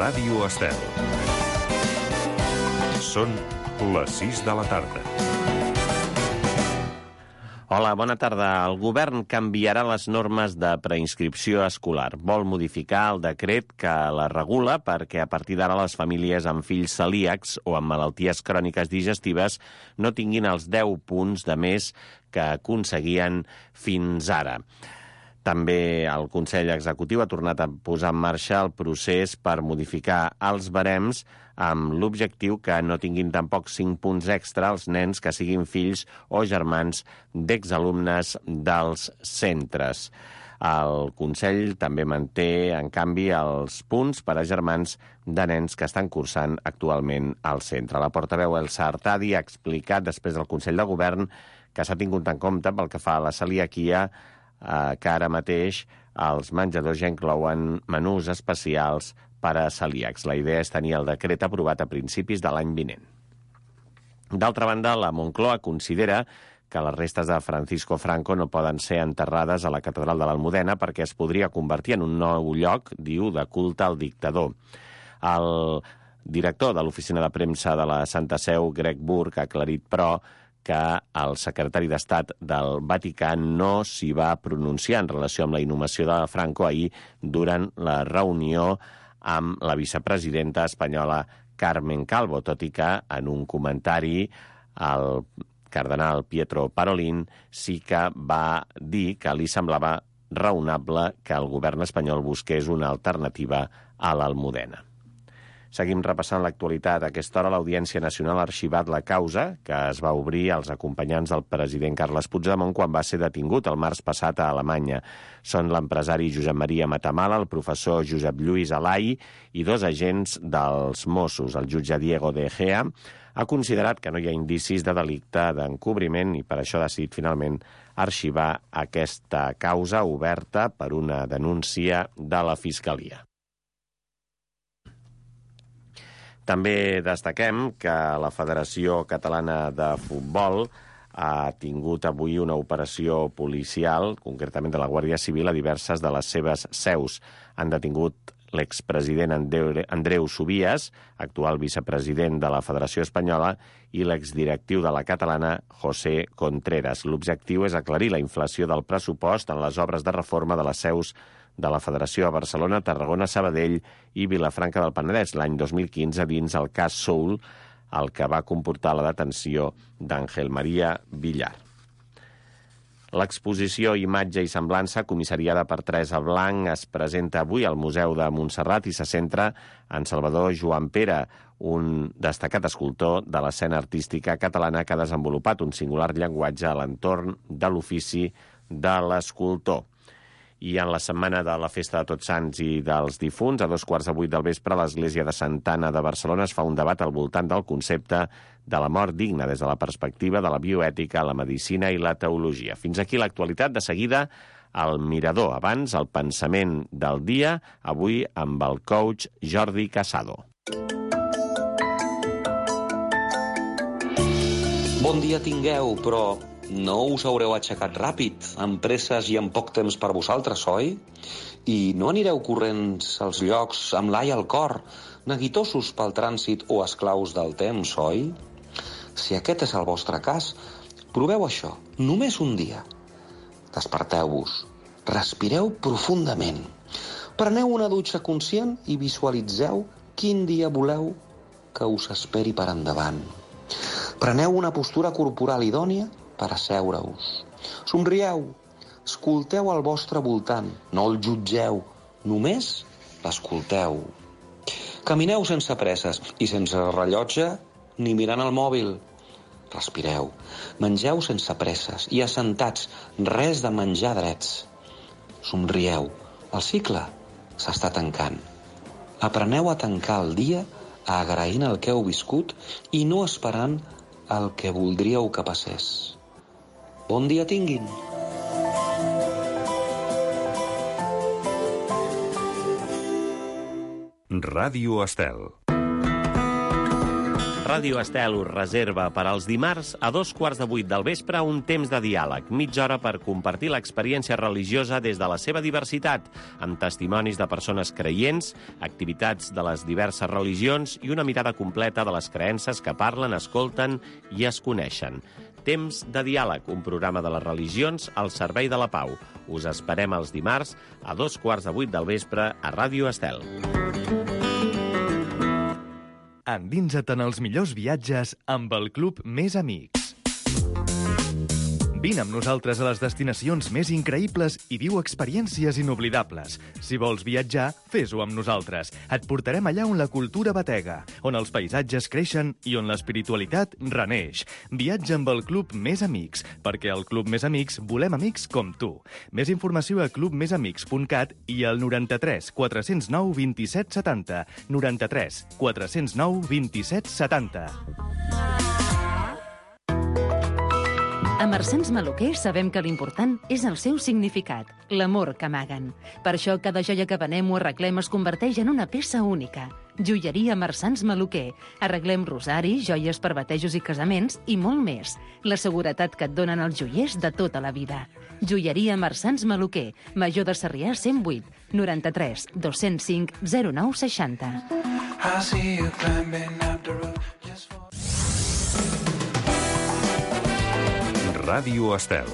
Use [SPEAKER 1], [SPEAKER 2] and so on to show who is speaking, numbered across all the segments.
[SPEAKER 1] Ràdio Estel. Són les 6 de la tarda.
[SPEAKER 2] Hola, bona tarda. El govern canviarà les normes de preinscripció escolar. Vol modificar el decret que la regula perquè a partir d'ara les famílies amb fills celíacs o amb malalties cròniques digestives no tinguin els 10 punts de més que aconseguien fins ara. També el Consell Executiu ha tornat a posar en marxa el procés per modificar els barems amb l'objectiu que no tinguin tampoc 5 punts extra els nens que siguin fills o germans d'exalumnes dels centres. El Consell també manté, en canvi, els punts per a germans de nens que estan cursant actualment al centre. La portaveu Elsa Artadi ha explicat després del Consell de Govern que s'ha tingut en compte pel que fa a la celiaquia que ara mateix els menjadors ja inclouen menús especials per a celíacs. La idea és tenir el decret aprovat a principis de l'any vinent. D'altra banda, la Moncloa considera que les restes de Francisco Franco no poden ser enterrades a la catedral de l'Almudena perquè es podria convertir en un nou lloc, diu, de culte al dictador. El director de l'oficina de premsa de la Santa Seu, Greg Burke, ha aclarit, però, que el secretari d'Estat del Vaticà no s'hi va pronunciar en relació amb la inhumació de Franco ahir durant la reunió amb la vicepresidenta espanyola Carmen Calvo, tot i que en un comentari el cardenal Pietro Parolin sí que va dir que li semblava raonable que el govern espanyol busqués una alternativa a l'Almudena. Seguim repassant l'actualitat. A aquesta hora l'Audiència Nacional ha arxivat la causa que es va obrir als acompanyants del president Carles Puigdemont quan va ser detingut el març passat a Alemanya. Són l'empresari Josep Maria Matamala, el professor Josep Lluís Alai i 2 agents dels Mossos. El jutge Diego de Gea ha considerat que no hi ha indicis de delicte d'encobriment i per això ha decidit finalment arxivar aquesta causa oberta per una denúncia de la Fiscalia. També destaquem que la Federació Catalana de Futbol ha tingut avui una operació policial, concretament de la Guàrdia Civil, a diverses de les seves seus. Han detingut l'expresident Andreu Subias, actual vicepresident de la Federació Espanyola, i l'exdirectiu de la catalana, José Contreras. L'objectiu és aclarir la inflació del pressupost en les obres de reforma de les seus de la Federació a Barcelona, Tarragona, Sabadell i Vilafranca del Penedès l'any 2015 dins el cas Soul, el que va comportar la detenció d'Àngel Maria Villar. L'exposició Imatge i Semblança, comissariada per Teresa Blanc, es presenta avui al Museu de Montserrat i se centra en Salvador Joan Pere, un destacat escultor de l'escena artística catalana que ha desenvolupat un singular llenguatge a l'entorn de l'ofici de l'escultor. I en la setmana de la Festa de Tots Sants i dels Difunts, a 7:15 del vespre, a l'Església de Santa Anna de Barcelona es fa un debat al voltant del concepte de la mort digna des de la perspectiva de la bioètica, la medicina i la teologia. Fins aquí l'actualitat. De seguida, el Mirador. Abans, el pensament del dia, avui amb el coach Jordi Casado.
[SPEAKER 3] Bon dia tingueu, però no us haureu aixecat ràpid, amb presses i amb poc temps per vosaltres, oi? I no anireu corrents als llocs amb l'ai al cor, neguitosos pel trànsit o esclaus del temps, oi? Si aquest és el vostre cas, proveu això, només un dia. Desperteu-vos, respireu profundament, preneu una dutxa conscient i visualitzeu quin dia voleu que us esperi per endavant. Preneu una postura corporal idònia per asseure-us. Somrieu, escolteu al vostre voltant, no el jutgeu, només l'escolteu. Camineu sense presses i sense rellotge ni mirant el mòbil. Respireu, mengeu sense presses i assentats, res de menjar drets. Somrieu, el cicle s'està tancant. Apreneu a tancar el dia agraint el que heu viscut i no esperant el que voldríeu que passés. Bon dia tinguin!
[SPEAKER 1] Ràdio Estel.
[SPEAKER 2] Ràdio Estel us reserva per als dimarts a 7:45 del vespre un temps de diàleg, mitja hora per compartir l'experiència religiosa des de la seva diversitat, amb testimonis de persones creients, activitats de les diverses religions i una mirada completa de les creences que parlen, escolten i es coneixen. Temps de diàleg, un programa de les religions al servei de la pau. Us esperem els dimarts a 7:45 del vespre a Ràdio Estel.
[SPEAKER 4] Endinsa't en els millors viatges amb el Club Més Amics. Vine amb nosaltres a les destinacions més increïbles i viu experiències inoblidables. Si vols viatjar, fes-ho amb nosaltres. Et portarem allà on la cultura batega, on els paisatges creixen i on l'espiritualitat reneix. Viatja amb el Club Més Amics, perquè al Club Més Amics volem amics com tu. Més informació a clubmesamics.cat i al 93 409 27 70. 93 409 27 70.
[SPEAKER 5] A Marsans Maluquer sabem que l'important és el seu significat, l'amor que amaguen. Per això cada joia que venem o arreglem es converteix en una peça única. Joieria Marsans Maluquer. Arreglem rosaris, joies per batejos i casaments i molt més. La seguretat que et donen els joiers de tota la vida. Joieria Marsans Maluquer. Major de Sarrià 108 93 205 09 60.
[SPEAKER 1] Ràdio Estel.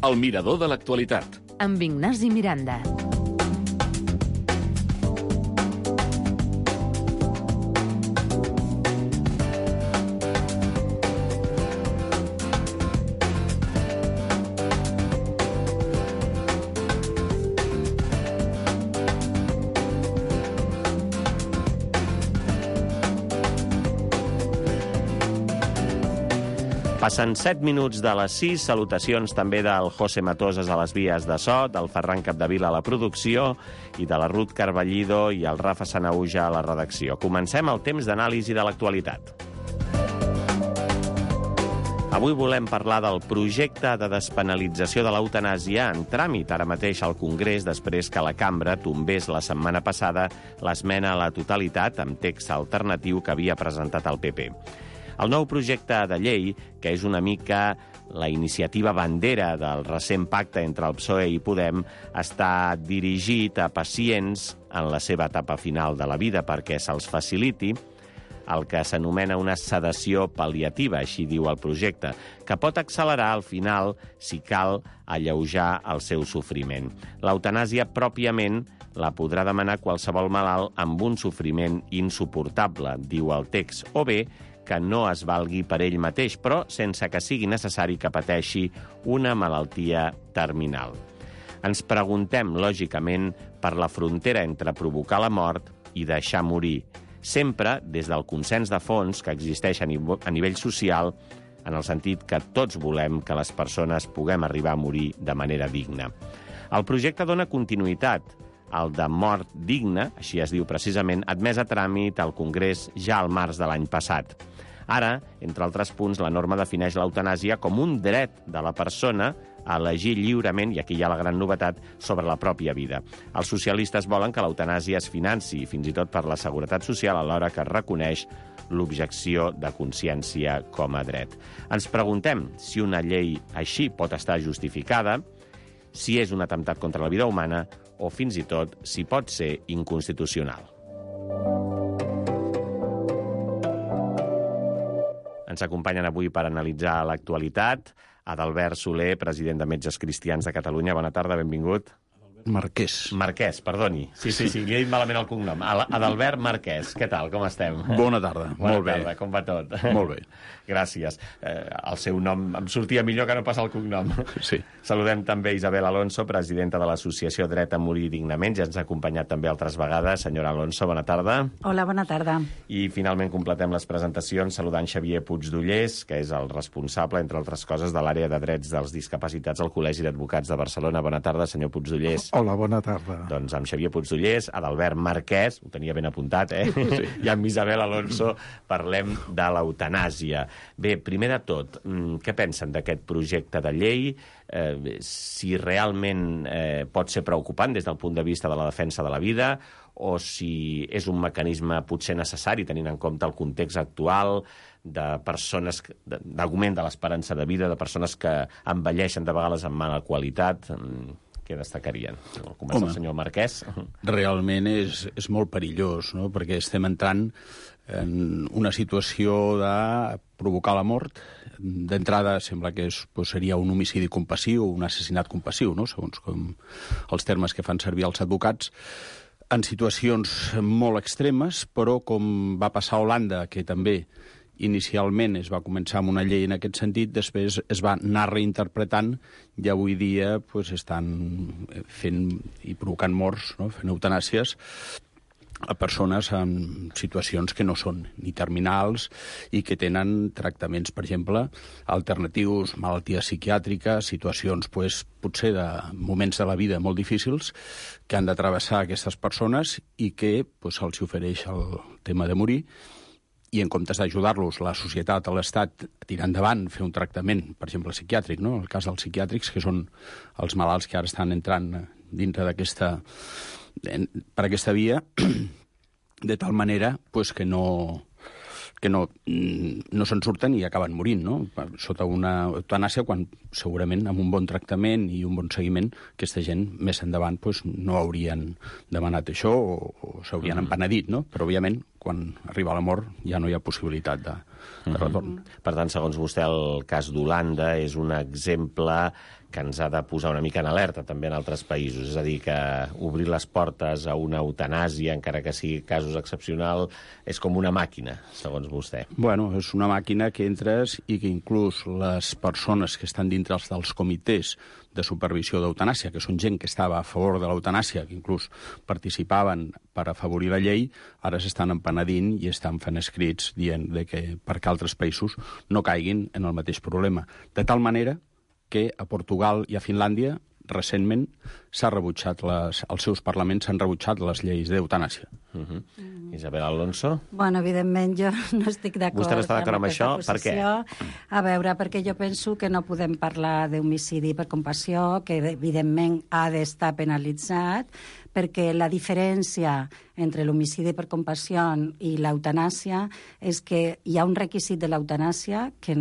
[SPEAKER 1] El mirador de l'actualitat.
[SPEAKER 5] Amb Ignasi Miranda.
[SPEAKER 2] Passen 7 minuts de les 6, salutacions també del José Matoses a les vies de so, del Ferran Capdevila a la producció i de la Ruth Carballido i el Rafa Sanauja a la redacció. Comencem el temps d'anàlisi de l'actualitat. Avui volem parlar del projecte de despenalització de l'eutanàsia en tràmit ara mateix al Congrés després que la cambra tombés la setmana passada l'esmena a la totalitat amb text alternatiu que havia presentat el PP. El nou projecte de llei, que és una mica la iniciativa bandera del recent pacte entre el PSOE i Podem, està dirigit a pacients en la seva etapa final de la vida perquè se'ls faciliti el que s'anomena una sedació pal·liativa, així diu el projecte, que pot accelerar al final, si cal, alleujar el seu sofriment. L'eutanàsia pròpiament la podrà demanar qualsevol malalt amb un sofriment insuportable, diu el text, o bé que no es valgui per ell mateix, però sense que sigui necessari que pateixi una malaltia terminal. Ens preguntem, lògicament, per la frontera entre provocar la mort i deixar morir, sempre des del consens de fons que existeix a nivell social, en el sentit que tots volem que les persones puguem arribar a morir de manera digna. El projecte dona continuïtat al de mort digna, així es diu precisament, admès a tràmit al Congrés ja al març de l'any passat. Ara, entre altres punts, la norma defineix l'eutanàsia com un dret de la persona a elegir lliurement, i aquí hi ha la gran novetat, sobre la pròpia vida. Els socialistes volen que l'eutanàsia es financi, fins i tot per la Seguretat Social, alhora que es reconeix l'objecció de consciència com a dret. Ens preguntem si una llei així pot estar justificada, si és un atemptat contra la vida humana o, fins i tot, si pot ser inconstitucional. Ens acompanyen avui per analitzar l'actualitat Adalbert Soler, president de Metges Cristians de Catalunya. Bona tarda, benvingut.
[SPEAKER 6] Marquès.
[SPEAKER 2] Marquès, perdoni. Sí, li he dit malament el cognom. Adalbert Marquès. Què tal, com estem?
[SPEAKER 6] Bona tarda, molt bé.
[SPEAKER 2] Bona tarda, com va tot?
[SPEAKER 6] Molt bé.
[SPEAKER 2] Gràcies. El seu nom em sortia millor que no pas el cognom.
[SPEAKER 6] Sí.
[SPEAKER 2] Saludem també Isabel Alonso, presidenta de l'Associació Dret a Morir Dignament. Ja ens ha acompanyat també altres vegades. Senyora Alonso, bona tarda.
[SPEAKER 7] Hola, bona tarda.
[SPEAKER 2] I finalment completem les presentacions saludant Xavier Puigdollers, que és el responsable, entre altres coses, de l'àrea de drets dels discapacitats al Col·legi d'Advocats de Barcelona. Bona tarda, senyor Puigdollers.
[SPEAKER 6] Hola, bona tarda.
[SPEAKER 2] Doncs amb Xavier Puigdollers, Adalbert Marquès, ho tenia ben apuntat, Sí. I amb Isabel Alonso parlem de l'eutanàsia. Bé, primer de tot, què pensen d'aquest projecte de llei? Si realment pot ser preocupant des del punt de vista de la defensa de la vida, o si és un mecanisme potser necessari, tenint en compte el context actual de persones, d'augment de l'esperança de vida, de persones que envelleixen de vegades amb mala qualitat. Què destacarien? Comença el senyor Marquès.
[SPEAKER 6] Realment és molt perillós, no? Perquè estem entrant en una situació de provocar la mort. D'entrada sembla que seria un homicidi compassiu, un assassinat compassiu, no? Segons com els termes que fan servir els advocats, en situacions molt extremes, però com va passar a Holanda, que també inicialment es va començar amb una llei en aquest sentit, després es va anar reinterpretant i avui dia estan fent i provocant morts, no? Fent eutanàsies a persones en situacions que no són ni terminals i que tenen tractaments, per exemple, alternatius, malalties psiquiàtriques, situacions potser de moments de la vida molt difícils que han de travessar aquestes persones i que se'ls ofereix el tema de morir, i en comptes d'ajudar-los, la societat, l'Estat, a tirar endavant, fer un tractament, per exemple, psiquiàtric, no? El cas dels psiquiàtrics, que són els malalts que ara estan entrant dintre per aquesta via, de tal manera que no se'n surten i acaben morint, no? Sota una eutanàsia, quan segurament amb un bon tractament i un bon seguiment aquesta gent més endavant no haurien demanat això o s'haurien empenedit, no? Però, òbviament, quan arriba la mort ja no hi ha possibilitat de retorn.
[SPEAKER 2] Per tant, segons vostè, el cas d'Holanda és un exemple que ens ha de posar una mica en alerta també en altres països. És a dir, que obrir les portes a una eutanàsia, encara que sigui casos excepcionals, és com una màquina, segons vostè.
[SPEAKER 6] Bueno, és una màquina que entres i que inclús les persones que estan dintre dels comitès de supervisió d'eutanàsia, que són gent que estava a favor de l'eutanàsia, que inclús participaven per afavorir la llei, ara s'estan empenedint i estan fent escrits dient que perquè altres països no caiguin en el mateix problema. De tal manera que a Portugal i a Finlàndia recentment s'ha rebutjat, els seus parlaments s'han rebutjat les lleis d'eutanàsia.
[SPEAKER 2] Isabel Alonso?
[SPEAKER 7] Bueno, evidentment jo no estic d'acord.
[SPEAKER 2] Vostè no està d'acord amb això? Per què?
[SPEAKER 7] A veure, perquè jo penso que no podem parlar d'homicidi per compassió, que evidentment ha d'estar penalitzat, perquè la diferència entre l'homicidi per compassió i l'eutanàsia és que hi ha un requisit de l'eutanàsia que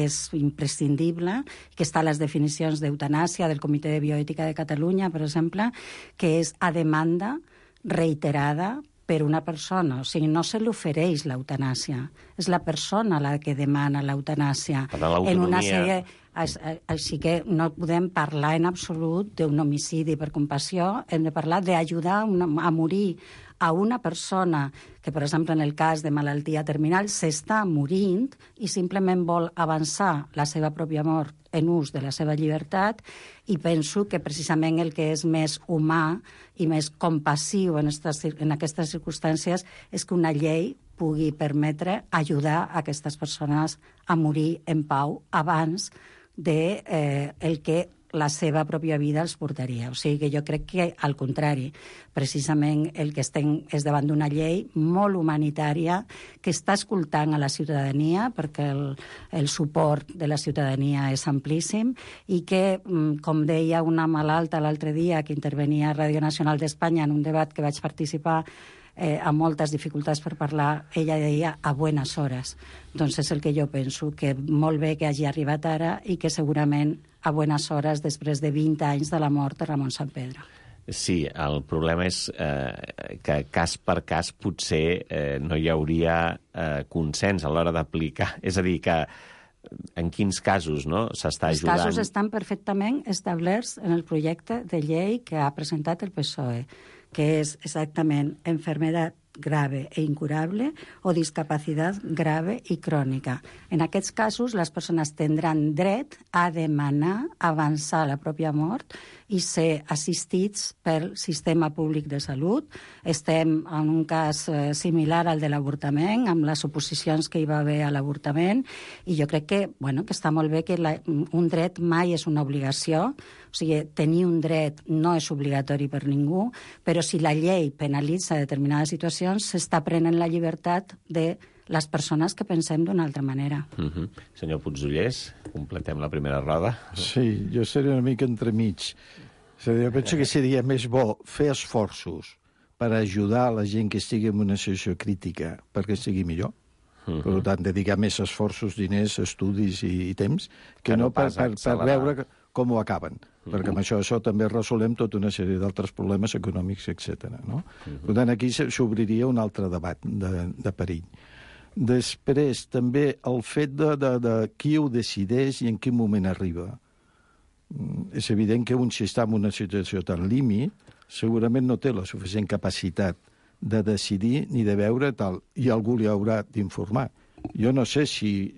[SPEAKER 7] és imprescindible, que està a les definicions d'eutanàsia del Comitè de Bioètica de Catalunya, per exemple, que és a demanda reiterada per una persona. O sigui, no se li ofereix l'eutanàsia. És la persona la que demana l'eutanàsia.
[SPEAKER 2] Per tant, l'autonomia...
[SPEAKER 7] Així que no podem parlar en absolut d'un homicidi per compassió, hem de parlar d'ajudar a morir a una persona que, per exemple, en el cas de malaltia terminal, s'està morint i simplement vol avançar la seva pròpia mort en ús de la seva llibertat, i penso que precisament el que és més humà i més compassiu en aquestes circumstàncies és que una llei pugui permetre ajudar a aquestes persones a morir en pau abans de el que la seva pròpia vida els portaria. O sigui que jo crec que, al contrari, precisament el que estem és davant d'una llei molt humanitària que està escoltant a la ciutadania, perquè el suport de la ciutadania és amplíssim, i que, com deia una malalta l'altre dia que intervenia a Ràdio Nacional d'Espanya en un debat que vaig participar amb moltes dificultats per parlar, ella deia a buenas hores. Doncs és el que jo penso, que molt bé que hagi arribat ara i que segurament a buenas hores després de 20 anys de la mort de Ramon Sampedro.
[SPEAKER 2] Sí, el problema és que cas per cas potser no hi hauria consens a l'hora d'aplicar. És a dir, que en quins casos s'està ajudant?
[SPEAKER 7] Els casos estan perfectament establerts en el projecte de llei que ha presentat el PSOE, que és exactament enfermedad grave e incurable o discapacitat grave i crònica. En aquests casos, les persones tindran dret a demanar avançar la pròpia mort i ser assistits pel sistema públic de salut. Estem en un cas similar al de l'avortament, amb les oposicions que hi va haver a l'avortament, i jo crec que, que està molt bé que un dret mai és una obligació, o sigui, tenir un dret no és obligatori per ningú, però si la llei penalitza determinades situacions, s'està prenent la llibertat de les persones que pensem d'una altra manera.
[SPEAKER 2] Senyor Puigdollers, completem la primera roda.
[SPEAKER 8] Sí, jo seria una mica entremig. Jo penso que seria més bo fer esforços per ajudar la gent que estigui en una situació crítica perquè estigui millor. Per tant, dedicar més esforços, diners, estudis i temps, que no per veure com ho acaben. Perquè amb això també resolem tota una sèrie d'altres problemes econòmics, etc. No? Per tant, aquí s'obriria un altre debat de perill. Després, també, el fet de qui ho decideix i en quin moment arriba. És evident que un, si està en una situació tan límit, segurament no té la suficient capacitat de decidir ni de veure tal, i algú li haurà d'informar. Jo no sé si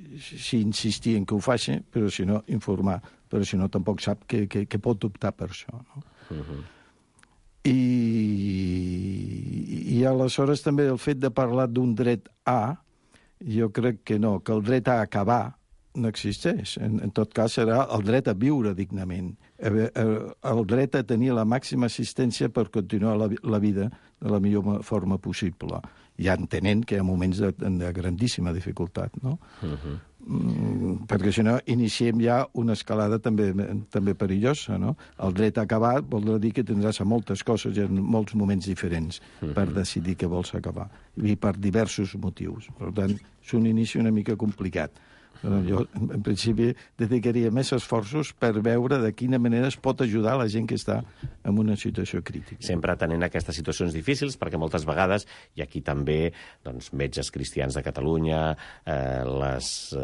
[SPEAKER 8] insistir en que ho faci, però si no, informar. Però si no, tampoc sap que pot optar per això. No? I aleshores també el fet de parlar d'un dret A, jo crec que no, que el dret a acabar no existeix. En tot cas, serà el dret a viure dignament, el dret a tenir la màxima assistència per continuar la vida de la millor forma possible, ja entenent que hi ha moments de grandíssima dificultat, no? Perquè si no, iniciem ja una escalada també perillosa, no? El dret a acabar vol dir que tindràs moltes coses i en molts moments diferents per decidir què vols acabar, i per diversos motius. Per tant, és un inici una mica complicat. Jo, en principi, dedicaria més esforços per veure de quina manera es pot ajudar la gent que està en una situació crítica.
[SPEAKER 2] Sempre atenent a aquestes situacions difícils, perquè moltes vegades, i aquí també metges cristians de Catalunya, les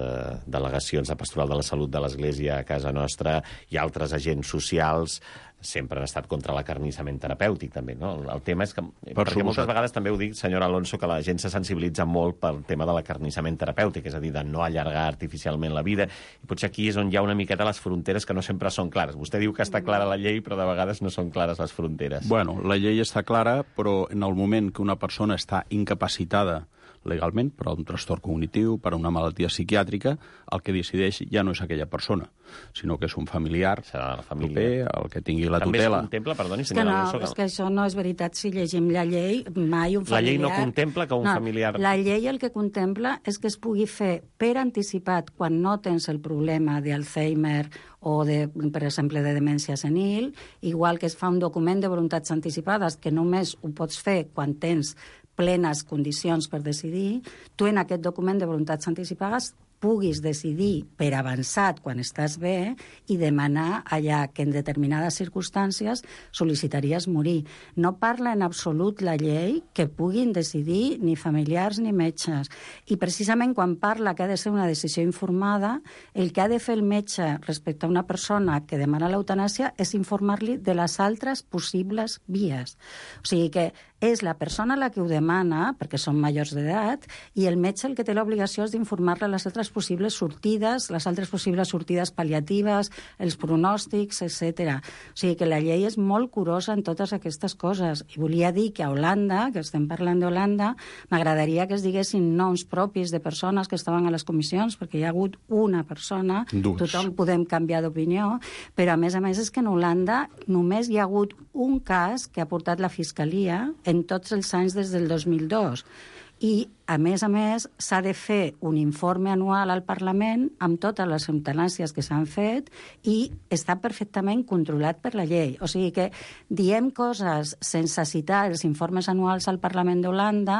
[SPEAKER 2] delegacions de Pastoral de la Salut de l'Església a casa nostra i altres agents socials sempre han estat contra l'acarnissament terapèutic, també, no? El tema és que, perquè moltes vegades també ho dic, senyora Alonso, que la gent se sensibilitza molt pel tema de l'acarnissament terapèutic, és a dir, de no allargar artificialment la vida, i potser aquí és on hi ha una miqueta les fronteres que no sempre són clares. Vostè diu que està clara la llei, però de vegades no són clares les fronteres.
[SPEAKER 6] Bueno, la llei està clara, però en el moment que una persona està incapacitada legalment per un trastorn cognitiu, per una malaltia psiquiàtrica, el que decideix ja no és aquella persona, sinó que és un familiar proper, el que tingui la tutela.
[SPEAKER 2] També es contempla, perdoni, senyora Alonso...
[SPEAKER 7] És que això no és veritat. Si llegim la llei, mai un familiar...
[SPEAKER 2] La llei no contempla que un familiar...
[SPEAKER 7] La llei el que contempla és que es pugui fer per anticipat, quan no tens el problema d'Alzheimer o, per exemple, de demència senil, igual que es fa un document de voluntats anticipades, que només ho pots fer quan tens plenes condicions per decidir, tu en aquest document de voluntats anticipades puguis decidir per avançat quan estàs bé i demanar allà que en determinades circumstàncies sol·licitaries morir. No parla en absolut la llei que puguin decidir ni familiars ni metges. I precisament quan parla que ha de ser una decisió informada, el que ha de fer el metge respecte a una persona que demana l'eutanàsia és informar-li de les altres possibles vies. O sigui que és la persona la que ho demana, perquè són majors d'edat, i el metge el que té l'obligació és d'informar-la les altres possibles sortides, les altres possibles sortides pal·liatives, els pronòstics, etc. O sigui que la llei és molt curosa en totes aquestes coses. I volia dir que a Holanda, que estem parlant d'Holanda, m'agradaria que es diguessin noms propis de persones que estaven a les comissions, perquè hi ha hagut una persona, tothom podem canviar d'opinió, però a més és que en Holanda només hi ha hagut un cas que ha portat la Fiscalia en tots els anys des del 2002. I, a més, s'ha de fer un informe anual al Parlament amb totes les eutanàsies que s'han fet i està perfectament controlat per la llei. O sigui que diem coses sense citar els informes anuals al Parlament d'Holanda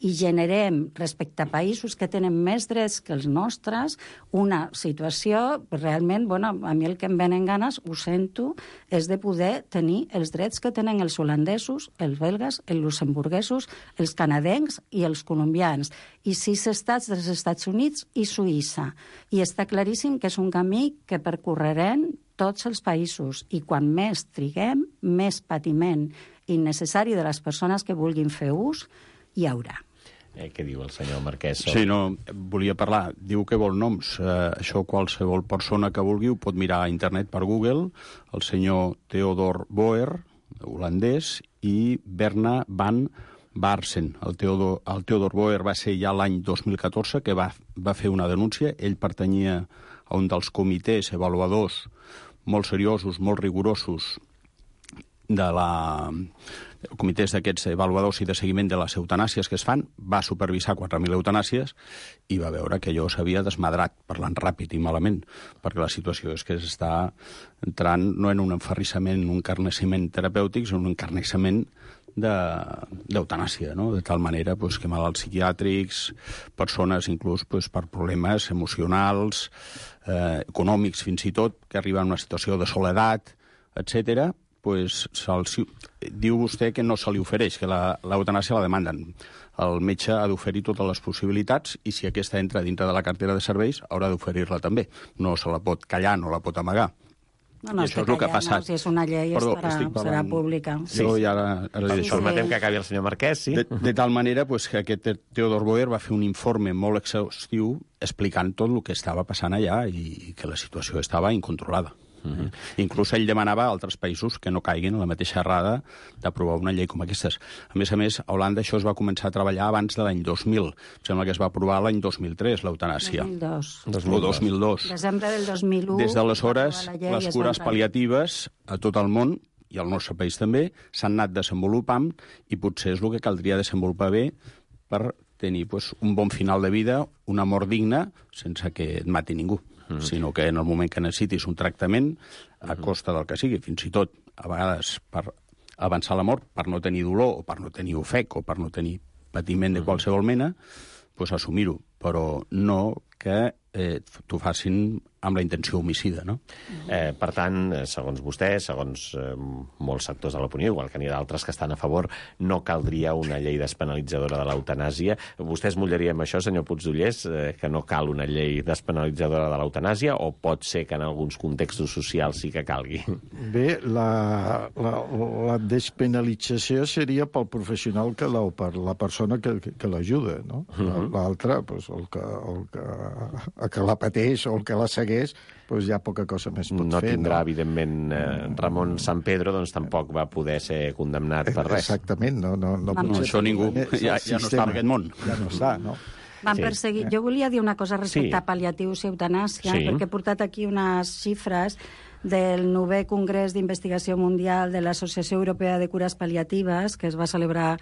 [SPEAKER 7] i generem, respecte a països que tenen més drets que els nostres, una situació realment, a mi el que em venen ganes, ho sento, és de poder tenir els drets que tenen els holandesos, els belgues, els luxemburguesos, els canadencs i els colombians, i 6 estats dels Estats Units i Suïssa. I està claríssim que és un camí que percorrerem tots els països, i quan més triguem, més patiment innecessari de les persones que vulguin fer ús hi haurà.
[SPEAKER 2] Què diu el senyor Marquès?
[SPEAKER 6] Sí, no, volia parlar. Diu que vol noms. Això qualsevol persona que vulgui ho pot mirar a internet per Google. El senyor Theodor Boer, holandès, i Berna van Barsen. El Theodor Boer va ser ja l'any 2014 que va fer una denúncia. Ell pertanyia a un dels comitès avaluadors molt seriosos, molt rigorosos comitès d'aquests avaluadors i de seguiment de les eutanàsies que es fan, va supervisar 4.000 eutanàsies i va veure que allò s'havia desmadrat, parlant ràpid i malament, perquè la situació és que s'està entrant no en un enferrissament, un encarnissament terapèutic, sinó un encarnissament d'eutanàsia, no? De tal manera que malalts psiquiàtrics, persones inclús per problemes emocionals, econòmics fins i tot, que arriben a una situació de soledat, etcètera, diu vostè que no se li ofereix, que l'eutanàsia la demanden. El metge ha d'oferir totes les possibilitats i si aquesta entra dintre de la cartera de serveis haurà d'oferir-la també. No se la pot callar, no la pot amagar.
[SPEAKER 7] No, això és el que ha passat. Si és una llei, serà pública.
[SPEAKER 6] Sí.
[SPEAKER 2] Permetem que acabi el senyor Marquès, sí?
[SPEAKER 6] De tal manera que aquest Theodor Boer va fer un informe molt exhaustiu explicant tot el que estava passant allà i que la situació estava incontrolada. Inclús ell demanava a altres països que no caiguin a la mateixa errada d'aprovar una llei com aquestes. A més, a Holanda això es va començar a treballar abans de l'any 2000. Sembla que es va aprovar l'any 2003, l'eutanàsia. 2002.
[SPEAKER 7] Desembre del 2001.
[SPEAKER 6] Des d'aleshores, les cures pal·liatives a tot el món, i al nostre país també, s'han anat desenvolupant i potser és el que caldria desenvolupar bé per tenir un bon final de vida, una mort digna, sense que et mati ningú. Sinó que en el moment que necessitis un tractament, a costa del que sigui, fins i tot, a vegades, per avançar la mort, per no tenir dolor, o per no tenir ofec, o per no tenir patiment de qualsevol mena, assumir-ho, però no que t'ho facin amb la intenció homicida, no?
[SPEAKER 2] Per tant, segons vostè, segons molts sectors de l'opinió, igual que n'hi ha d'altres que estan a favor, no caldria una llei despenalitzadora de l'eutanàsia. Vostè es motllaria amb això, senyor Puigdollers, que no cal una llei despenalitzadora de l'eutanàsia, o pot ser que en alguns contextos socials sí que calgui?
[SPEAKER 8] Bé, la despenalització seria pel professional o per la persona que l'ajuda, no? L'altre, el que la pateix o el que la segueix, ja poca cosa més pot fer.
[SPEAKER 2] No tindrà, evidentment, Ramon San Pedro, doncs tampoc va poder ser condemnat per res.
[SPEAKER 8] Exactament, no
[SPEAKER 6] això ningú, ja no està en aquest món.
[SPEAKER 8] Ja no està, no?
[SPEAKER 7] Van perseguir. Jo volia dir una cosa respecte a pal·liatius i eutanàsia, perquè he portat aquí unes xifres del 9è Congrés d'Investigació Mundial de l'Associació Europea de Cures Pal·liatives, que es va celebrar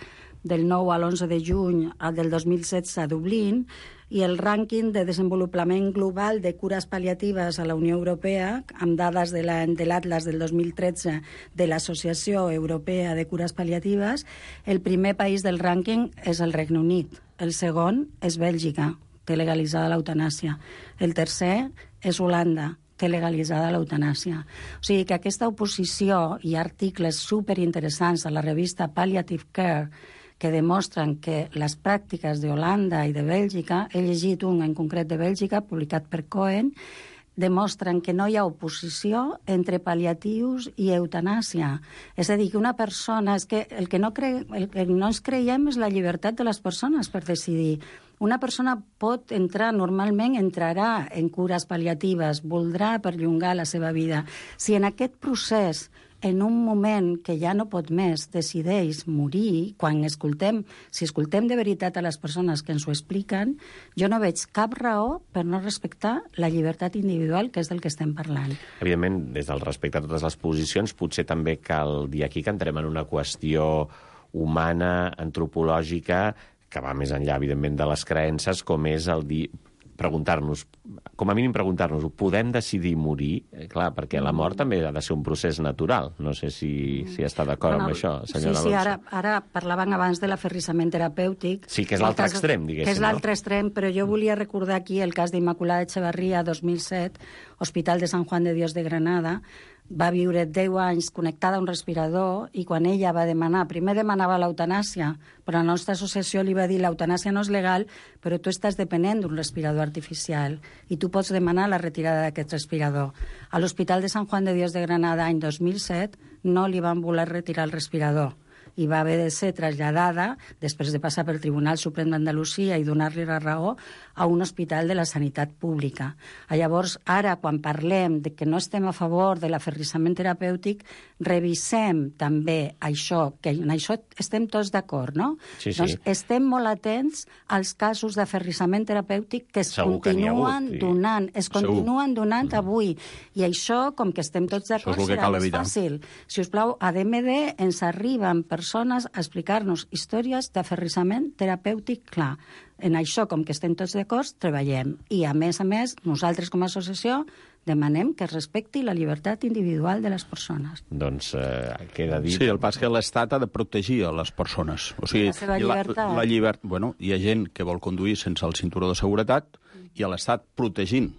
[SPEAKER 7] del 9 a l'11 de juny del 2016 a Dublín, i el rànquing de desenvolupament global de cures pal·liatives a la Unió Europea, amb dades de l'Atlas del 2013 de l'Associació Europea de Cures Pal·liatives, el primer país del rànquing és el Regne Unit, el segon és Bèlgica, té legalitzada l'eutanàsia, el tercer és Holanda, té legalitzada l'eutanàsia. O sigui que aquesta oposició i articles superinteressants a la revista Palliative Care que demostren que les pràctiques d'Holanda i de Bèlgica, he llegit un en concret de Bèlgica, publicat per Cohen, demostren que no hi ha oposició entre pal·liatius i eutanàsia. És a dir, que una persona... És que el que no ens creiem és la llibertat de les persones per decidir. Una persona pot entrar, normalment entrarà en cures pal·liatives, voldrà perllongar la seva vida. Si en aquest procés, en un moment que ja no pot més, decideix morir, si escoltem de veritat a les persones que ens ho expliquen, jo no veig cap raó per no respectar la llibertat individual, que és del que estem parlant.
[SPEAKER 2] Evidentment, des del respecte a totes les posicions, potser també cal dir aquí que entrem en una qüestió humana, antropològica, que va més enllà, evidentment, de les creences, com és el dir... preguntar-nos, com a mínim preguntar-nos, podem decidir morir? Clar, perquè la mort també ha de ser un procés natural. No sé si està d'acord amb això, senyora Alonso.
[SPEAKER 7] Sí, ara parlaven abans de l'aferrissament terapèutic.
[SPEAKER 2] Sí, que és l'altre extrem, diguéssim.
[SPEAKER 7] Que és l'altre extrem, però jo volia recordar aquí el cas d'Immaculada Echevarría, 2007, Hospital de San Juan de Dios de Granada. Va viure 10 anys connectada a un respirador i quan ella va demanar, primer demanava l'eutanàsia, però la nostra associació li va dir l'eutanàsia no és legal, però tu estàs depenent d'un respirador artificial i tu pots demanar la retirada d'aquest respirador. A l'Hospital de San Juan de Dios de Granada, any 2007, no li van voler retirar el respirador. i va haver de ser traslladada, després de passar pel Tribunal Suprem d'Andalusia i donar-li la raó, a un hospital de la sanitat pública. Llavors, ara, quan parlem de que no estem a favor de l'aferrissament terapèutic, revisem també això, que en això estem tots d'acord, no?
[SPEAKER 2] Sí, sí.
[SPEAKER 7] Doncs estem molt atents als casos d'aferrissament terapèutic que es
[SPEAKER 2] Segur que n'hi ha hagut,
[SPEAKER 7] continuen donant, es continuen donant avui. I això, com que estem tots d'acord, serà més fàcil. Si us plau, a DMD ens arriben persones a explicar-nos històries d'aferrissament terapèutic clar. En això, com que estem tots d'acord, treballem. I, a més, nosaltres com a associació demanem que es respecti la llibertat individual de les persones.
[SPEAKER 2] Doncs queda dit...
[SPEAKER 6] Sí, el pas que l'Estat ha de protegir a les persones. O sigui,
[SPEAKER 7] la seva llibertat.
[SPEAKER 6] Bueno, hi ha gent que vol conduir sense el cinturó de seguretat i a l'Estat protegint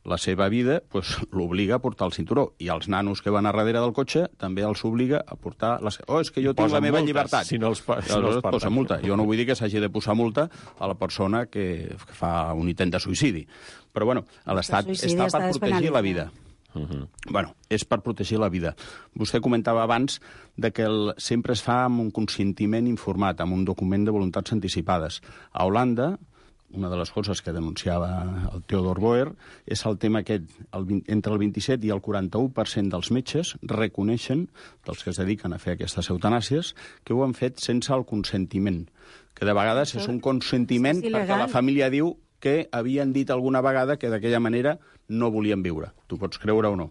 [SPEAKER 6] la seva vida pues, l'obliga a portar el cinturó. I els nanos que van a darrere del cotxe també els obliga a portar... és que jo tinc la meva llibertat.
[SPEAKER 2] Si no els
[SPEAKER 6] posa multa. Jo no vull dir que s'hagi de posar multa a la persona que fa un intent de suïcidi. Però, bueno, l'Estat està per protegir la vida. Bueno, és per protegir la vida. Vostè comentava abans de que sempre es fa amb un consentiment informat, amb un document de voluntats anticipades. A Holanda, una de les coses que denunciava el Theodor Boer és el tema aquest, entre el 27 i el 41% dels metges reconeixen, dels que es dediquen a fer aquestes eutanàsies, que ho han fet sense el consentiment, que de vegades és un consentiment perquè la família diu que havien dit alguna vegada que d'aquella manera no volien viure. Tu pots creure o no.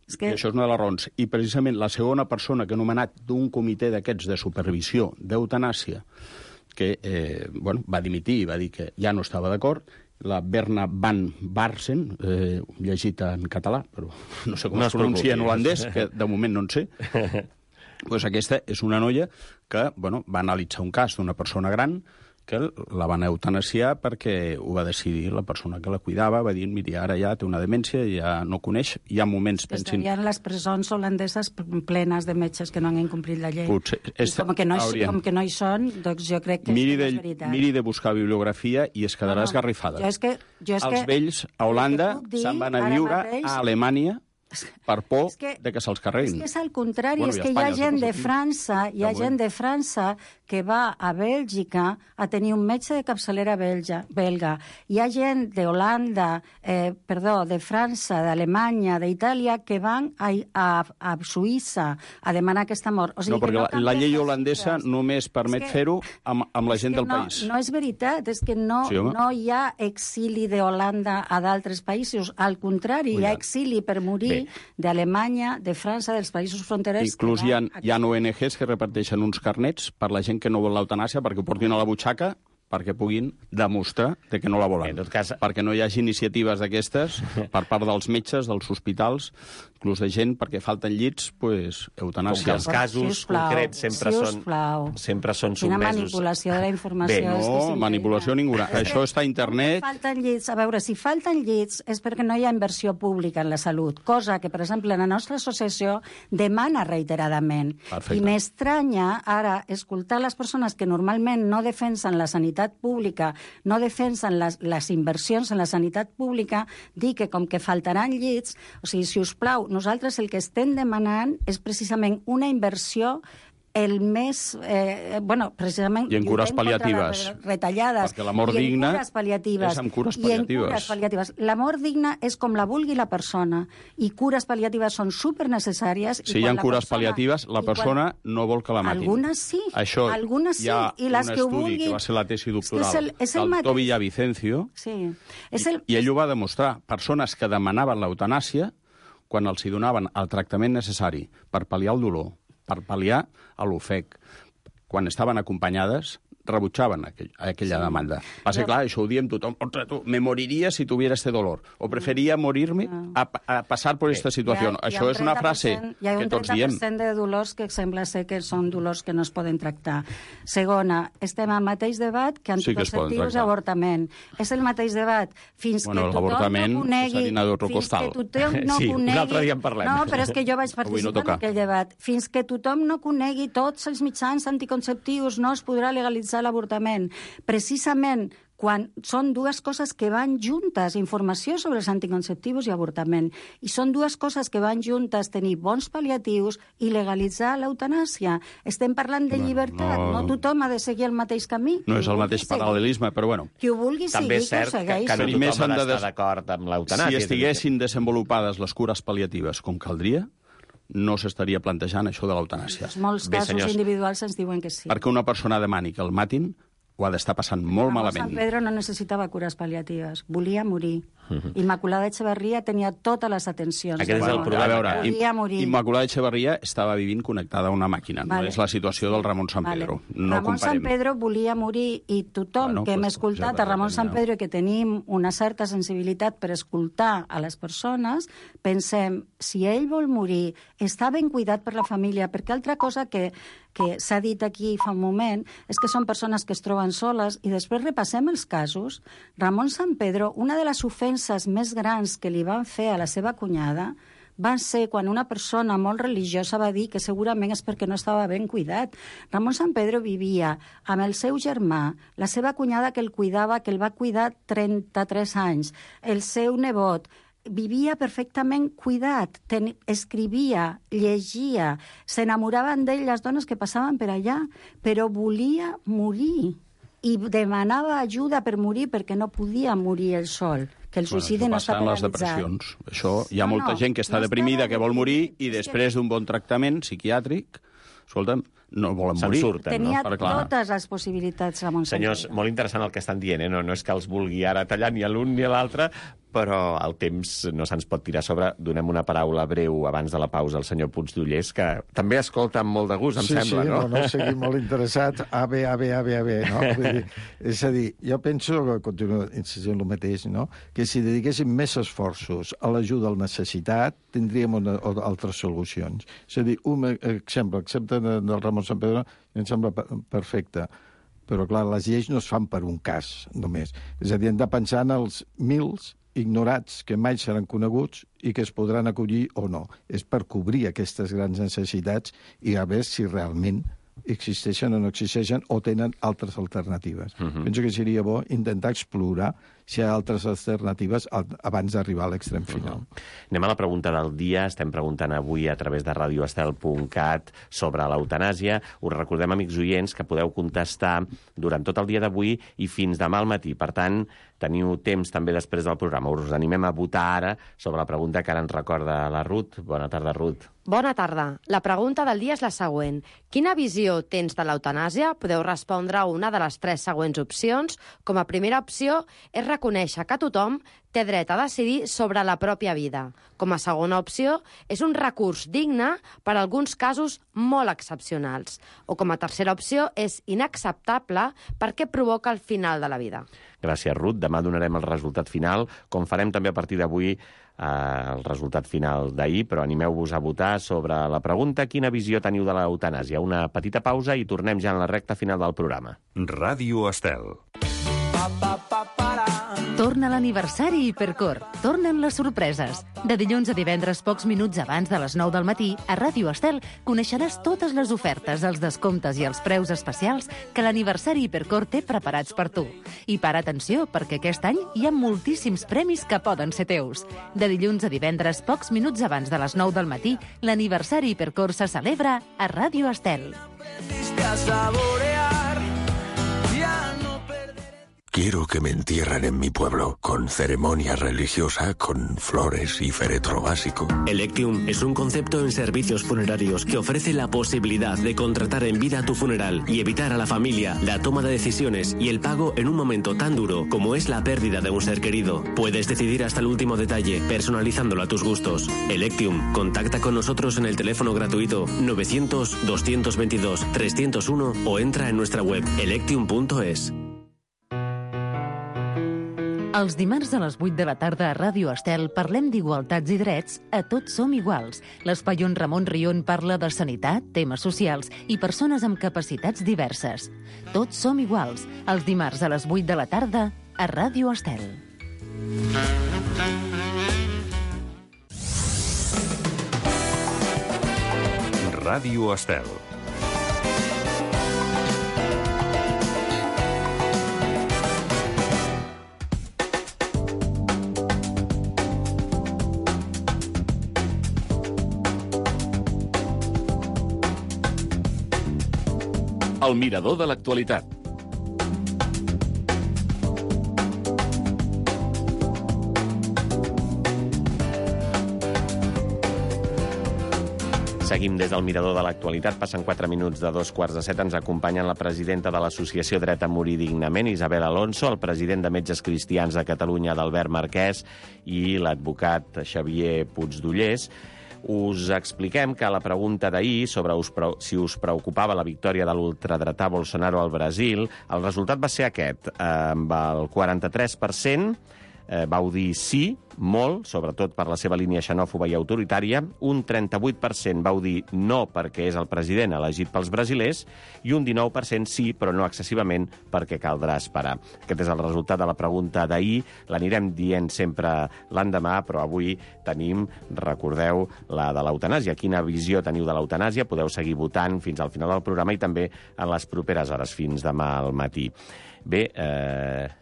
[SPEAKER 6] I això és una de les raons. I precisament la segona persona que ha nomenat d'un comitè d'aquests de supervisió d'eutanàsia que va dimitir i va dir que ja no estava d'acord, la Berna van Barsen, llegit en català, però no sé com es pronuncia en holandès, que de moment no en sé. Pues aquesta és una noia que va analitzar un cas d'una persona gran que la van eutanasiar perquè ho va decidir la persona que la cuidava, va dir, mira, ara ja té una demència, ja no coneix, hi ha moments...
[SPEAKER 7] Estarien les presons holandeses plenes de metges que no han incomplit la llei.
[SPEAKER 6] Potser,
[SPEAKER 7] com que no hi són, doncs jo crec que és veritat.
[SPEAKER 6] Miri de buscar bibliografia i es quedarà esgarrifada. Els vells a Holanda se'n van a viure a Alemanya per por de que se'ls carreguin.
[SPEAKER 7] És que és al contrari, és que hi ha gent de França, que va a Bèlgica a tenir un metge de capçalera belga. Hi ha gent d'Holanda, de França, d'Alemanya, d'Itàlia, que van a Suïssa a demanar aquesta mort.
[SPEAKER 6] No, perquè la llei holandesa només permet fer-ho amb la gent del país.
[SPEAKER 7] No és veritat, és que no hi ha exili d'Holanda a d'altres països. Al contrari, hi ha exili per morir d'Alemanya, de França, dels països fronterers...
[SPEAKER 6] Inclús hi ha ONGs que reparteixen uns carnets per la gent que no vol l'eutanàsia perquè ho portin a la butxaca perquè puguin demostrar que no la volen.
[SPEAKER 2] En tot cas...
[SPEAKER 6] Perquè no hi hagi iniciatives d'aquestes per part dels metges, dels hospitals, inclús de gent, perquè falten llits, eutanàsia.
[SPEAKER 2] Com que els casos concrets sempre són sotmesos...
[SPEAKER 7] Quina manipulació de la informació.
[SPEAKER 6] No, manipulació ninguna. Això està a internet...
[SPEAKER 7] Falten llits. A veure, si falten llits és perquè no hi ha inversió pública en la salut, cosa que, per exemple, la nostra associació demana reiteradament.
[SPEAKER 6] Perfecte.
[SPEAKER 7] I m'estranya ara escoltar les persones que normalment no defensen la sanitat pública, no defensen les inversions en la sanitat pública, dir que com que faltaran llits, o sigui, si us plau, nosaltres el que estem demanant és precisament una inversió el més... precisament...
[SPEAKER 6] I en cures pal·liatives.
[SPEAKER 7] Retallades.
[SPEAKER 6] Perquè la mort digna és amb cures
[SPEAKER 7] pal·liatives. La mort digna és com la vulgui la persona. I cures pal·liatives són supernecessàries.
[SPEAKER 6] Si hi ha cures pal·liatives, la persona no vol que la matin.
[SPEAKER 7] Algunes sí.
[SPEAKER 6] Això,
[SPEAKER 7] algunes sí.
[SPEAKER 6] Hi ha
[SPEAKER 7] I les
[SPEAKER 6] un
[SPEAKER 7] que
[SPEAKER 6] estudi que va ser la tesi doctoral del Tobi Vicencio, i ell ho va demostrar. Persones que demanaven l'eutanàsia, quan els hi donaven el tractament necessari per pal·liar el dolor, per pal·liar l'ofec, quan estaven acompanyades, rebutjaven aquella demanda. Va ser clar, això ho diem tothom. Me moriria si tuviera este dolor. O preferia morir-me a passar per esta situació. Això és una frase que tots diem.
[SPEAKER 7] Hi ha un 30% de dolors que sembla ser que són dolors que no es poden tractar. Segona, estem al mateix debat que anticonceptius i avortament. És el mateix debat. Fins que tothom no conegui...
[SPEAKER 2] Un altre dia en parlem.
[SPEAKER 7] No, però és que jo vaig participar en aquell debat. Fins que tothom no conegui tots els mitjans anticonceptius no es podrà legalitzar l'avortament. Precisament quan són dues coses que van juntes, informació sobre els anticonceptius i avortament, i són dues coses que van juntes, tenir bons pal·liatius i legalitzar l'eutanàsia. Estem parlant de llibertat, no tothom ha de seguir el mateix camí.
[SPEAKER 6] No és el mateix paral·lelisme, però bueno.
[SPEAKER 7] Qui ho vulgui
[SPEAKER 2] també
[SPEAKER 7] seguir,
[SPEAKER 2] és cert
[SPEAKER 7] que ho segueix.
[SPEAKER 2] que no tothom ha d'estar d'acord amb l'eutanàsia.
[SPEAKER 6] Si estiguessin desenvolupades les cures pal·liatives com caldria, no s'estaria plantejant això de l'eutanàsia.
[SPEAKER 7] Molts casos individuals ens diuen que sí.
[SPEAKER 6] Perquè una persona demani que el matin ho ha d'estar passant molt malament.
[SPEAKER 7] Sant Pedro no necessitava cures pal·liatives, volia morir. Immaculada Echeverría tenia totes les atencions.
[SPEAKER 2] Aquest és el problema.
[SPEAKER 6] A veure,
[SPEAKER 7] volia morir.
[SPEAKER 6] Immaculada Echeverría estava vivint connectada a una màquina. No és la situació del Ramon San Pedro. No
[SPEAKER 7] Ramon San Pedro volia morir i tothom que hem escoltat a Ramon San Pedro i que tenim una certa sensibilitat per escoltar a les persones, pensem, si ell vol morir, està ben cuidat per la família, perquè altra cosa que s'ha dit aquí fa un moment és que són persones que es troben soles i després repassem els casos. Ramon San Pedro, una de les ofenses més grans que li van fer a la seva cunyada va ser quan una persona molt religiosa va dir que segurament és perquè no estava ben cuidat. Ramon San Pedro vivia amb el seu germà, la seva cunyada que el cuidava, que el va cuidar 33 anys, el seu nebot, vivia perfectament cuidat, escrivia, llegia, s'enamoraven d'ell les dones que passaven per allà, però volia morir i demanava ajuda per morir perquè no podia morir ell sol, que el suïcidi no està penalitzat.
[SPEAKER 6] Les depressions. Això, hi ha molta gent que està deprimida, que vol morir, i després d'un bon tractament psiquiàtric, escolta'm, no volen morir.
[SPEAKER 7] Tenia totes les possibilitats, Ramon Sant Pedro.
[SPEAKER 2] Senyors, molt interessant el que estan dient, no és que els vulgui ara tallar ni a l'un ni a l'altre, però el temps no se'ns pot tirar a sobre. Donem una paraula breu abans de la pausa al senyor Puigdollers, que també escolta amb molt de gust, em sembla, no?
[SPEAKER 8] Sí, seguim molt interessat. A bé, no? Vull dir, és a dir, jo penso, que continuo insistint el mateix, no? Que si dediquéssim més esforços a l'ajuda al necessitat, tindríem altres solucions. És a dir, un exemple, excepte del Ramon Sant Pedro, em sembla perfecte. Però, clar, les lleis no es fan per un cas, només. És a dir, hem de pensar en els mils ignorats que mai seran coneguts i que es podran acollir o no. És per cobrir aquestes grans necessitats i a veure si realment existeixen o no existeixen o tenen altres alternatives. Penso que seria bo intentar explorar si hi ha altres alternatives abans d'arribar a l'extrem final.
[SPEAKER 2] Anem a la pregunta del dia. Estem preguntant avui a través de radioestel.cat sobre l'eutanàsia. Us recordem, amics oients, que podeu contestar durant tot el dia d'avui i fins demà al matí. Per tant, teniu temps també després del programa. Us animem a votar ara sobre la pregunta que ara ens recorda la Ruth. Bona tarda, Ruth.
[SPEAKER 9] Bona tarda. La pregunta del dia és la següent. Quina visió tens de l'eutanàsia? Podeu respondre a una de les 3 següents opcions. Com a primera opció és reconèixer que tothom té dret a decidir sobre la pròpia vida. Com a segona opció és un recurs digne per a alguns casos molt excepcionals. O com a tercera opció és inacceptable perquè provoca el final de la vida.
[SPEAKER 2] Gràcies, Ruth. Demà donarem el resultat final, com farem també a partir d'avui el resultat final d'ahir, però animeu-vos a votar sobre la pregunta quina visió teniu de l'eutanàsia. Una petita pausa i tornem ja en la recta final del programa.
[SPEAKER 1] Ràdio Estel.
[SPEAKER 5] Torna l'aniversari Hipercor. Tornen les sorpreses. De dilluns a divendres, pocs minuts abans de les 9 del matí, a Ràdio Estel coneixeràs totes les ofertes, els descomptes i els preus especials que l'aniversari Hipercor té preparats per tu. I para atenció, perquè aquest any hi ha moltíssims premis que poden ser teus. De dilluns a divendres, pocs minuts abans de les 9 del matí, l'aniversari Hipercor se celebra a Ràdio Estel.
[SPEAKER 10] Quiero que me entierren en mi pueblo, con ceremonia religiosa, con flores y féretro básico.
[SPEAKER 11] Electium es un concepto en servicios funerarios que ofrece la posibilidad de contratar en vida tu funeral y evitar a la familia la toma de decisiones y el pago en un momento tan duro como es la pérdida de un ser querido. Puedes decidir hasta el último detalle, personalizándolo a tus gustos. Electium, contacta con nosotros en el teléfono gratuito 900-222-301 o entra en nuestra web electium.es.
[SPEAKER 5] Els dimarts a les 8 de la tarda a Ràdio Estel parlem d'igualtats i drets a Tots som iguals. L'espai on Ramon Rion parla de sanitat, temes socials i persones amb capacitats diverses. Tots som iguals, els dimarts a les 8 de la tarda a Ràdio Estel.
[SPEAKER 1] Ràdio Estel.
[SPEAKER 12] El mirador de l'actualitat.
[SPEAKER 2] Seguim des del mirador de l'actualitat. Passen 4 minuts de 2:15. Ens acompanyen la presidenta de l'Associació Dret a Morir Dignament, Isabel Alonso, el president de Metges Cristians de Catalunya, Albert Marquès, i l'advocat Xavier Puigdollers. Us expliquem que a la pregunta d'ahir sobre si us preocupava la victòria de l'ultradretà Bolsonaro al Brasil, el resultat va ser aquest. Amb el 43% vau dir sí, molt, sobretot per la seva línia xenòfoba i autoritària. Un 38% vau dir no perquè és el president elegit pels brasilers i un 19% sí, però no excessivament, perquè caldrà esperar. Aquest és el resultat de la pregunta d'ahir. L'anirem dient sempre l'endemà, però avui tenim, recordeu, la de l'eutanàsia. Quina visió teniu de l'eutanàsia? Podeu seguir votant fins al final del programa i també en les properes hores, fins demà al matí. Bé,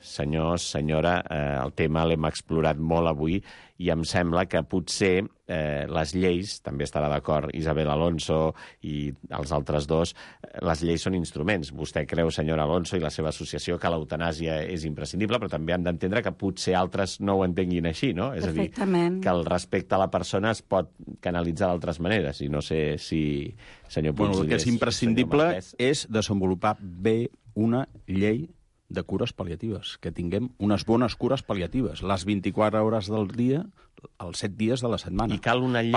[SPEAKER 2] senyors, senyora, el tema l'hem explorat molt avui i em sembla que potser les lleis, també estarà d'acord Isabel Alonso i els altres dos, les lleis són instruments. Vostè creu, senyora Alonso, i la seva associació, que l'eutanàsia és imprescindible, però també han d'entendre que potser altres no ho entenguin així, no? És a dir, que el respecte a la persona es pot canalitzar d'altres maneres, i no sé si, senyor Puigdollers...
[SPEAKER 6] El que és imprescindible és desenvolupar bé una llei de cures pal·liatives, que tinguem unes bones cures pal·liatives, les 24 hores del dia, els 7 dies de la setmana.
[SPEAKER 2] I cal una llei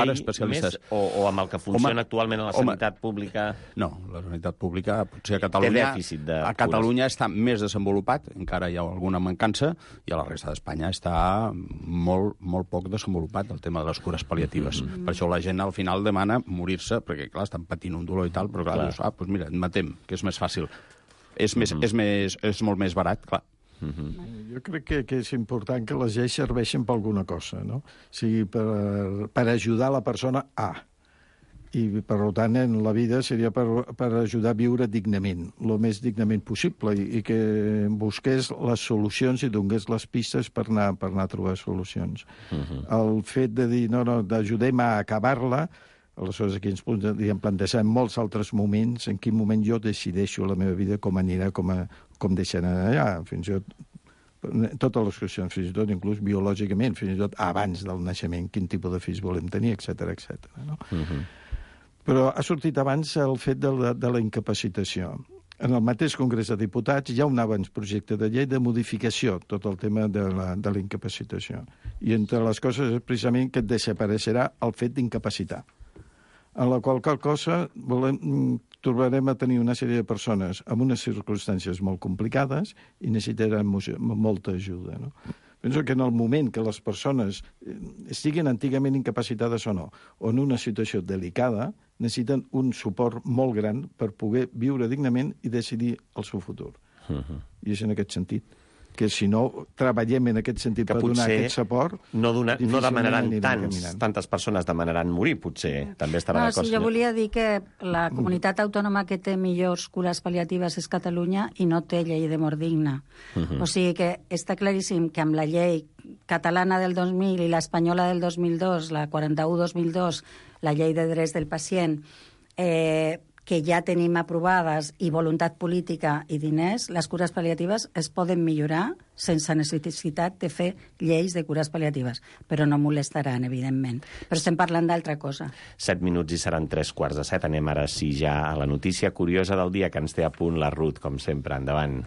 [SPEAKER 2] més o amb el que funciona actualment a la sanitat pública?
[SPEAKER 6] No, la sanitat pública potser a Catalunya...
[SPEAKER 2] Té dèficit de cures.
[SPEAKER 6] A Catalunya està més desenvolupat, encara hi ha alguna mancança, i a la resta d'Espanya està molt, molt poc desenvolupat el tema de les cures pal·liatives. Per això la gent al final demana morir-se, perquè clar, estan patint un dolor i tal, però clar, dius, doncs mira, et matem, que és més fàcil. És molt més barat, clar.
[SPEAKER 8] Jo crec que és important que les lleis serveixin per alguna cosa, no? O sigui, per ajudar la persona a. I, per tant, en la vida seria per ajudar a viure dignament, el més dignament possible, i que busqués les solucions i donés les pistes per anar a trobar solucions. El fet de dir, no, d'ajudem a acabar-la, aleshores aquí ens plantegem molts altres moments, en quin moment jo decideixo la meva vida, com anirà, com deixarà allà, fins i tot totes les qüestions, fins i tot inclús biològicament, fins i tot abans del naixement, quin tipus de fills volem tenir, etc. No? Però ha sortit abans el fet de la incapacitació. En el mateix Congrés de Diputats hi ha un avantprojecte de llei de modificació, tot el tema de la incapacitació. I entre les coses és precisament que desapareixerà el fet d'incapacitar. En la qual cosa trobarem a tenir una sèrie de persones amb unes circumstàncies molt complicades i necessitaran molta ajuda. No? Penso que en el moment que les persones estiguin antigament incapacitades o no, o en una situació delicada, necessiten un suport molt gran per poder viure dignament i decidir el seu futur. I és en aquest sentit que si no treballem en aquest sentit per donar aquest suport...
[SPEAKER 2] No demanaran tantes persones demanaran morir, potser. També estarà d'acord.
[SPEAKER 7] Jo volia dir que la comunitat autònoma que té millors cures pal·liatives és Catalunya i no té llei de mort digna. O sigui que està claríssim que amb la llei catalana del 2000 i l'espanyola del 2002, la 41-2002, la llei de drets del pacient, que ja tenim aprovades, i voluntat política i diners, les cures pal·liatives es poden millorar sense necessitat de fer lleis de cures pal·liatives, però no molestaran, evidentment. Però estem parlant d'altra cosa.
[SPEAKER 2] 7 minuts i seran 7:15. Anem ara sí ja a la notícia curiosa del dia que ens té a punt la Ruth, com sempre. Endavant.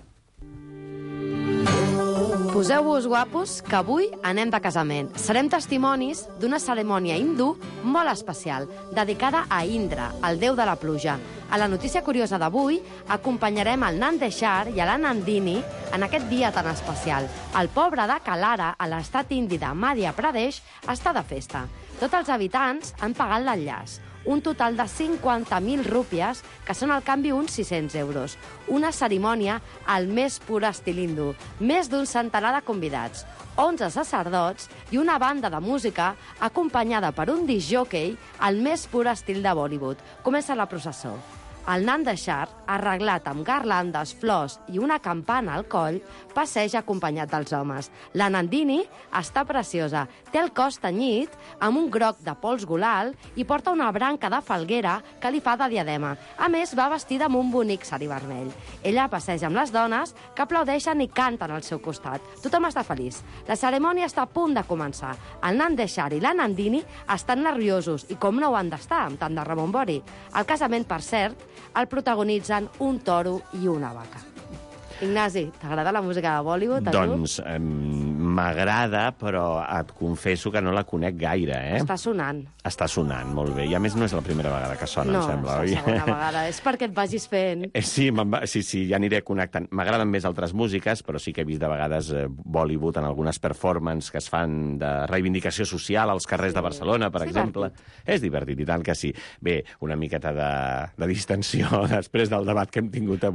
[SPEAKER 9] Poseu-vos guapos, que avui anem de casament. Serem testimonis d'una cerimònia hindú molt especial, dedicada a Indra, el déu de la pluja. A la notícia curiosa d'avui acompanyarem el Nandeshwar i la Nandini en aquest dia tan especial. El poble de Kalara, a l'estat indi de Madhya Pradesh, està de festa. Tots els habitants han pagat l'enllaç. Un total de 50.000 rúpies, que són al canvi uns 600 euros. Una cerimònia al més pur estil hindú. Més d'un centenar de convidats, 11 sacerdots i una banda de música acompanyada per un disc jockey al més pur estil de Bollywood. Comença la processó. El nan de Xar, arreglat amb garlandes, flors i una campana al coll, passeja acompanyat dels homes. La Nandini està preciosa, té el cos tenyit amb un groc de pols golal i porta una branca de falguera que li fa de diadema. A més, va vestida amb un bonic sari vermell. Ella passeja amb les dones que aplaudeixen i canten al seu costat. Tothom està feliç. La cerimònia està a punt de començar. El nan de Xar i la Nandini estan nerviosos i com no ho han d'estar amb tant de rebombori. El casament, per cert, el protagonitzen un toro i una vaca. Ignasi, t'agrada la música de Bollywood?
[SPEAKER 2] Doncs m'agrada, però et confesso que no la conec gaire, eh?
[SPEAKER 9] Està sonant.
[SPEAKER 2] Està sonant, molt bé. I a més no és la primera vegada que sona,
[SPEAKER 9] no,
[SPEAKER 2] em sembla, oi?
[SPEAKER 9] No, és la segona vegada. És perquè et vagis fent.
[SPEAKER 2] Sí, ja aniré connectant. M'agraden més altres músiques, però sí que he vist de vegades Bollywood en algunes performances que es fan de reivindicació social als carrers de Barcelona, per exemple. És divertit, i tant que sí. Bé, una miqueta de distensió després del debat que hem tingut avui.